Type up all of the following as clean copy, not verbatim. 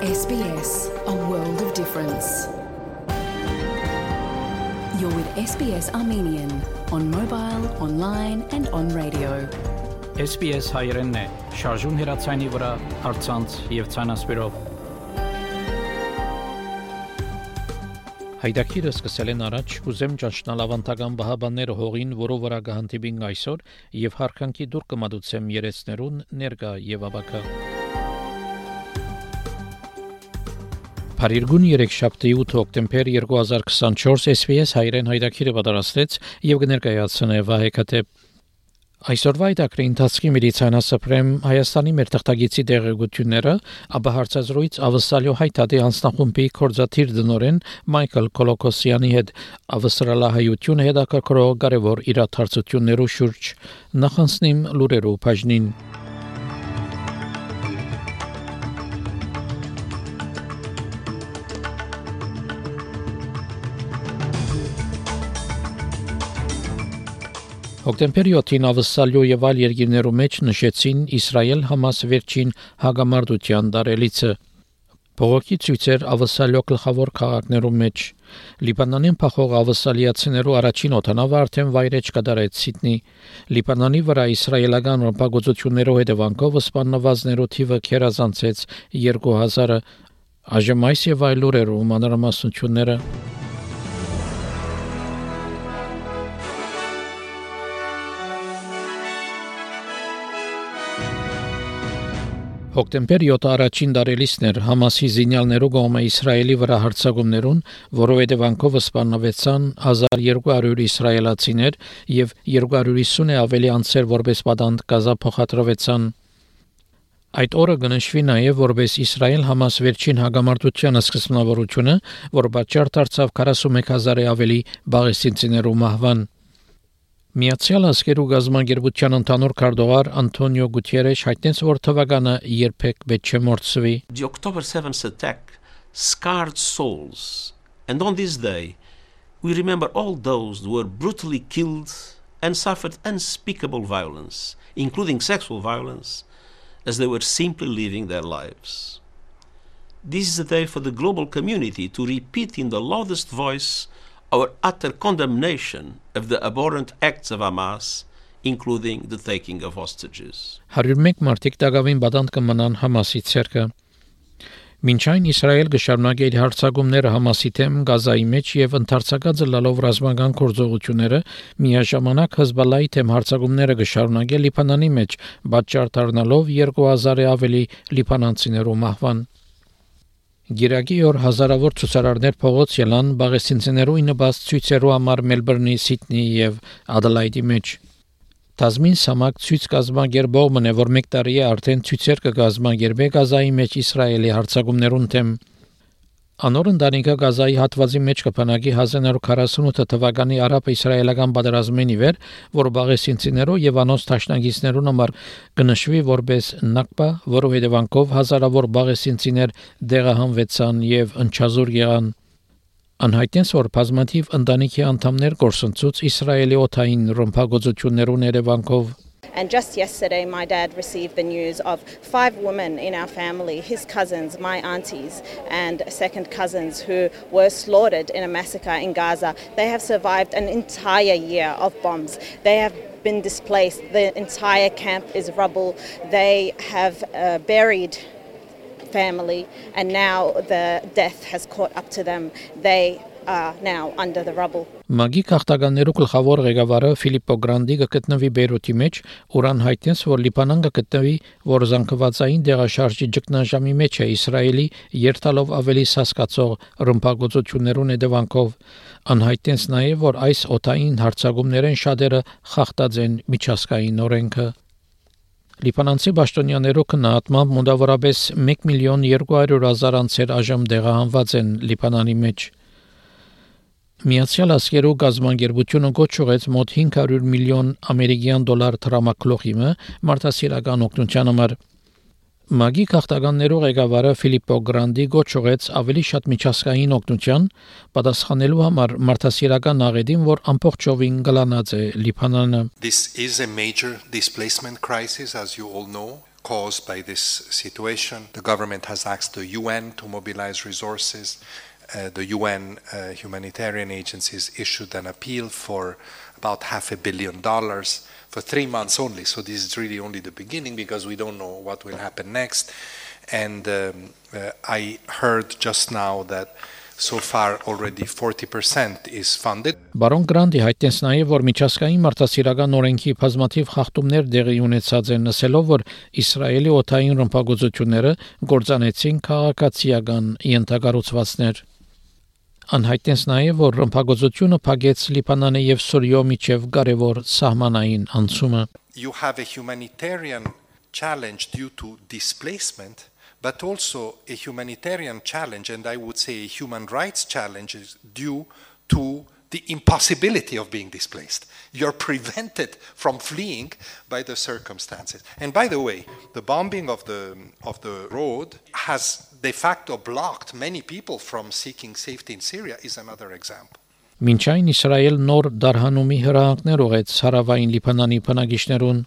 SBS, a world of difference. You're with SBS Armenian on mobile, online and on radio. SBS հայերենն է, շարժուն հեռացանի վրա, առցանց եւ ցանասպիրով։ Հայդակիրը սկսել են առաջ, ուզեմ ճանչնալ ավանդական բահաբանները հողին, որով վրա կհանդիպին այսօր եւ հարկանքի դուր կմատուցեմ երեցներուն ներկա եւ ավակա։ Փարիգուն 3 շաբթի 8 հոկտեմբեր 2024 SBS հայերեն հայդակիրը պատրաստեց եւ կներկայացնե Վահե Քաթեփ։ Այսօրվա այդակրի ընթացքի մեդիցինասպրեմ Հայաստանի մեր թղթագիտի դեղեցությունները, ապա հարցազրույց ավսալյո հայտարարի անձնախումբի կորզաթիր դնորեն Մայքլ Կոլոկոսյանի հետ ավստրալահայությունը հետաքրքրող կարևոր իրադարձություններու շուրջ նախանցնիմ լուրերու բաժնին։ Հոկտեմբերի 7-ին ավսալյո եւ այլ երկիրներու մեջ նշեցին Իսրայել-Համաս վերջին հագամարտության դարելիցը։ Բողոքի ցույցեր ավսալյո գլխավոր քաղաքներու մեջ Լիբանանին փախող ավսալիացիներու առաջին օդանավը արդեն վայրեջ կդարեց Սիդնի։ Լիբանանի վրա իսրայելական ռմբակոծություններու հետևանքով սպանվածներու թիվը քերազանցեց 2000-ը։ Այժմ այս եւ այլ լուրերու մանրամասնությունները։ Հոկտեմբեր 7 առաջին դարելիցն էր Համասի զինյալներու կողմը Իսրայելի վրա հարձակումներուն, որով հետևանքով սպանվեցան 1200 իսրայելացիներ եւ 250-ը ավելի անձեր որպես պատանդ Գազա փոխադրվեցան։ Այդ օրը կնշվի նաև որպես Իսրայել-Համաս վերջին հագամարտության սկզբնավորությունը, որ պատճառ դարձավ 41000-ը ավելի բաղեսինցիներու մահվան։ Միացյալ Ազգերու գազագերբության ընդհանուր քարտուղար Անտոնիո Գուտիերեշ հայտնեց, որ թվականը երբեք պետք չէ մոռացվի։ The October 7th attack scarred souls, and on this day we remember all those who were brutally killed and suffered unspeakable violence, including sexual violence, as they were simply living their lives. This is a day for the global community to repeat in the loudest voice our utter condemnation of the abhorrent acts of Hamas, including the taking of hostages. 101 մարդիկ դակավին բադանդ կմնան Համասի ցերկը։ Մինչ այն Իսրայել կշարունակի իր հարձակումները Համասի դեմ Գազայի մեջ եւ ընդարձակած լալով ռազմական գործողությունները, միաժամանակ Հեզբոլլայի դեմ հարձակումները կշարունակի Լիբանանի մեջ, պատճառ դառնալով 2000-ը ավելի լիբանանցիներու մահվան։ Գիրակի օր հազարավոր ցուցարարներ փողոց ելան բաղեսինցիներու իննբաց ցույցերու համար Մելբուրնի, Սիդնի եւ Ադելայդի մեջ։ Տազմին սամակ ցույց կազմակերպողն է, որ մեկ տարի է արդեն ցույցեր կգազմակերպի Գազայի մեջ Իսրայելի հարձակումներուն դեմ։ Անոր ընտանիքը Գազայի հատվածի մեջ կփնակի 1948 թվականի արաբ-իսրայելական պատերազմին ի վեր, որ բաղեսինցիներու եւ անոնց տաշնակիցներուն համար կնշվի որպես Նաքբա, որով հետևանքով հազարավոր բաղեսինցիներ դեղահանվեցան եւ ընչազուր եղան։ Անհայտեց, որ բազմաթիվ ընտանիքի անդամներ գործընծուց Իսրայելի օթային ռմբակոծություններուն հետևանքով։ And just yesterday, my dad received the news of 5 women in our family, his cousins, my aunties, and second cousins who were slaughtered in a massacre in Gaza. They have survived an entire year of bombs. They have been displaced. The entire camp is rubble. They have buried family, and now the death has caught up to them. They are now under the rubble. Մագի քաղաքականներու գլխավոր ղեկավարը Ֆիլիպպո Գրանդի գտնվի Բեյրութի մեջ, որան հայտնեց, որ Լիբանան գտնվի, որ զանգվածային դեղաշարժի ճգնաժամի մեջ է Իսրայելի երթալով ավելի սասկացող ռմբակոծություններուն հետևանքով։ Անհայտնեց նաև, որ այս օթային հարձակումներեն շատերը խախտած են միջազգային օրենքը։ Լիբանանցի պաշտոնյաներու քննադատմամբ մոտավորապես 1,200,000 անձեր այժմ դեղահանված են Լիբանանի մեջ։ Միացյալ Ազգերու գազագերբությունը գոչուեց մոտ 500 միլիոն ամերիկյան դոլար տրամակլոխիմը մարդասիրական օգնության համար։ Մագի քաղաքականներու ղեկավարը Ֆիլիպպո Գրանդի գոչուեց ավելի շատ միջազգային օգնության պատասխանելու համար մարդասիրական աղետին, որ ամբողջովին գլանած է Լիբանանը։ This is a major displacement crisis, as you all know. caused by this situation. The government has asked the UN to mobilize resources. The UN humanitarian agencies issued an appeal for about $500 million for 3 months only. So this is really only the beginning because we don't know what will happen next. And I heard just now that so far already 40% is funded. Բարոն Գրանտի հայտնեց նաև, որ միջազգային մարդասիրական օրենքի բազմաթիվ խախտումներ տեղի ունեցած են, ասելով, որ Իսրայելի օդային ռմբակոծությունները գործանեցին քաղաքացիական ենթակառուցվածքներ։ Անհայտնեց նաև, որ ռմբակոծությունը փակեց Լիբանանի եւ Սուրիո միջև կարևոր սահմանային անցումը։ You have a humanitarian challenge due to displacement, but also a humanitarian challenge, and I would say a human rights challenge is due to the impossibility of being displaced. You're prevented from fleeing by the circumstances. And by the way, the bombing of the road has de facto blocked many people from seeking safety in Syria is another example. Մինչ այն Իսրայել նոր դարհանումի հրահանգներ ուղեց հարավային Լիբանանի բնակիչներուն։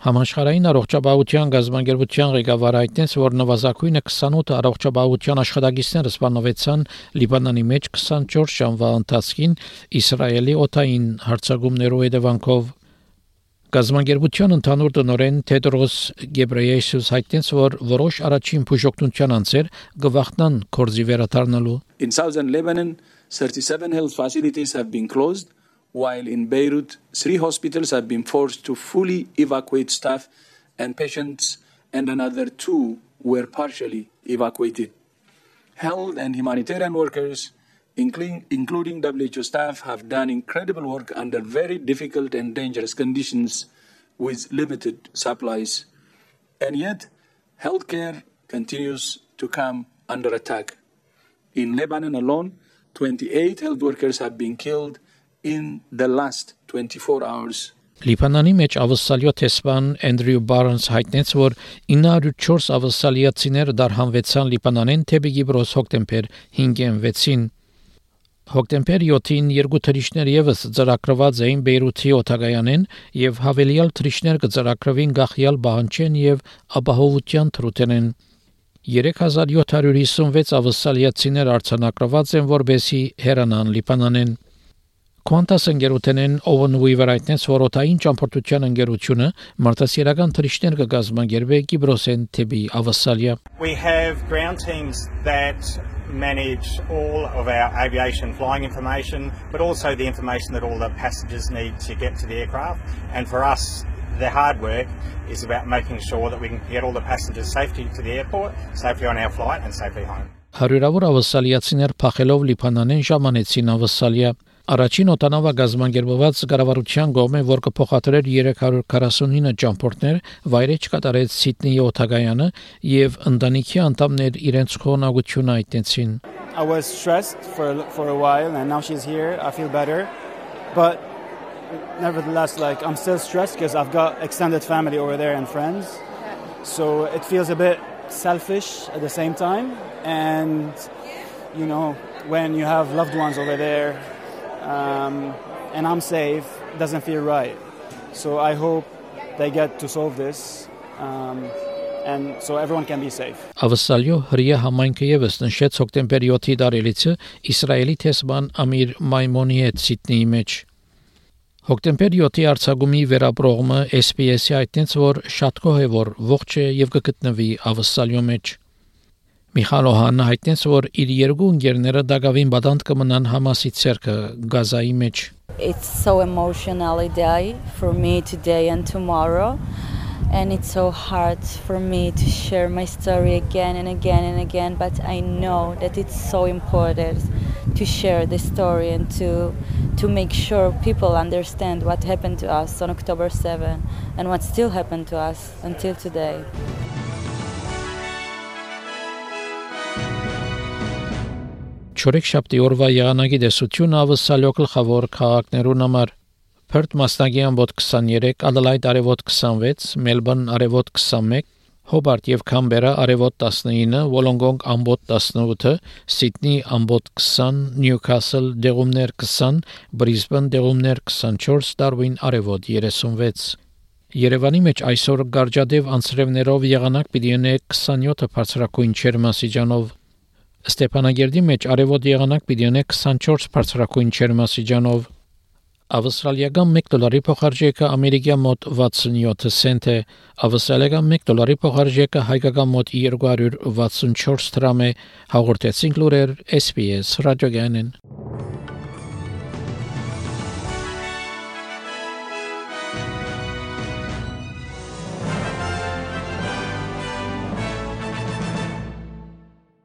Համաշխարհային առողջապահության գազագերբության ղեկավարը հայտնեց, որ նվազագույնը 28 առողջապահության աշխատակիցներ սպանվեցան Լիբանանի մեջ 24 ժամվա ընթացքին Իսրայելի օդային հարձակումներով հետևանքով։ Գազագերբության ընդհանուր տնօրեն Թեդրոս Գեբրեյեսուս հայտնեց, որ որոշ առաջին բուժօգնության անձեր կվախտնան կորզի վերադառնալու։ In southern Lebanon, 37 health facilities have been closed, while in Beirut, 3 hospitals have been forced to fully evacuate staff and patients, and another 2 were partially evacuated. Health and humanitarian workers, including WHO staff, have done incredible work under very difficult and dangerous conditions with limited supplies. And yet, healthcare continues to come under attack. In Lebanon alone, 28 health workers have been killed in the last 24 hours. Լիբանանի մեջ ավսալյո տեսփան Էնդրյու Բարնս հայտնեց, որ 904 ավսալիացիներ դարհանվեցան Լիբանանեն թեպի Կիպրոս հոկտեմբեր 5-6-ին։ Հոկտեմբեր 7-ին 2 թռիչքներ եւս ծրագրված էին Բեյրութի օդագայանեն եւ հավելյալ թռիչքներ կծրագրվին Գախյալ Բահանչեն եւ ապահովության թրութենեն։ 3756 ավսալիացիներ արձանագրված են, որբեսի հեռանան Լիբանանեն։ Quantas ընկերությունեն Owen Weaver հայտնեց, որ օդային ճամփորդության ընկերությունը մարդասիրական թռիչքներ կգազմագերբի Կիպրոսեն թեպի Ավսալիա։ We have ground teams that manage all of our aviation flying information, but also the information that all the passengers need to get to the aircraft. And for us, the hard work is about making sure that we can get all the passengers safely to the airport, safely on our flight and safely home. Հարյուրավոր ավսալիացիներ փախելով Լիբանանեն ժամանեցին Ավսալիա։ Առաջին օտանավագազմագերբված կառավարության կողմէ, որ կփոխադրեր 349 ճամփորդներ, վայրէջք կատարեց Սիդնեի օդագայանը եւ ընտանիքի անդամներ իրենց խոնավությունը այտեցին։ I was stressed for a while, and now she's here. I feel better, but nevertheless, I'm still stressed because I've got extended family over there and friends, so it feels a bit selfish at the same time. And when you have loved ones over there, and I'm safe, it doesn't feel right. So I hope they get to solve this, and so everyone can be safe. Ավսալյո հրիա համայնքը եւս նշեց հոկտեմբեր 7-ի դարելիցը Իսրայելի տեսփան Ամիր Մայմոնի հետ Սիդնեի մեջ։ Հոկտեմբեր 7-ի արձակումի վերապրողը SPS-ի հայտնեց, որ շատ գոհ է, որ ողջ է եւ կգտնվի Ավսալյո մեջ։ Միխայել Օհանն հայտնեց, որ իր երկու ընկերները դակավին բադանտ կմնան Համասի ցերկը Գազայի մեջ։ It's so emotional a day for me today and tomorrow, and it's so hard for me to share my story again and again and again, but I know that it's so important to share the story and to make sure people understand what happened to us on October 7 and what still happened to us until today. Չորեքշաբթի օրվա եղանակի դեսությունը Ավսալյո գլխավոր քաղաքներուն համար Perth մասնագի ամբոտ 23, Adelaide արևոտ 26, Melbourne արևոտ 21, Hobart եւ Canberra արևոտ 19, Wollongong ամբոտ 18, Sydney ամբոտ 20, Newcastle դեղումներ 20, Brisbane դեղումներ 24, Darwin արևոտ 36։ Երևանի մեջ այսօր գարջադև անցրևներով եղանակ պիտի ունե 27 բարձրակույն ջերմաստիճանով, Ստեփանագերդի մեջ արևոտ եղանակ պիտի ունե 24 բարձրակույն ջերմաստիճանով, ավստրալիական $1 փոխարժեքը ամերիկյան մոտ 67 سنت է, ավստրալիական $1 փոխարժեքը հայկական մոտ 264 դրամ է, հաղորդեցինք լուրեր SPS ռադիոգյանեն.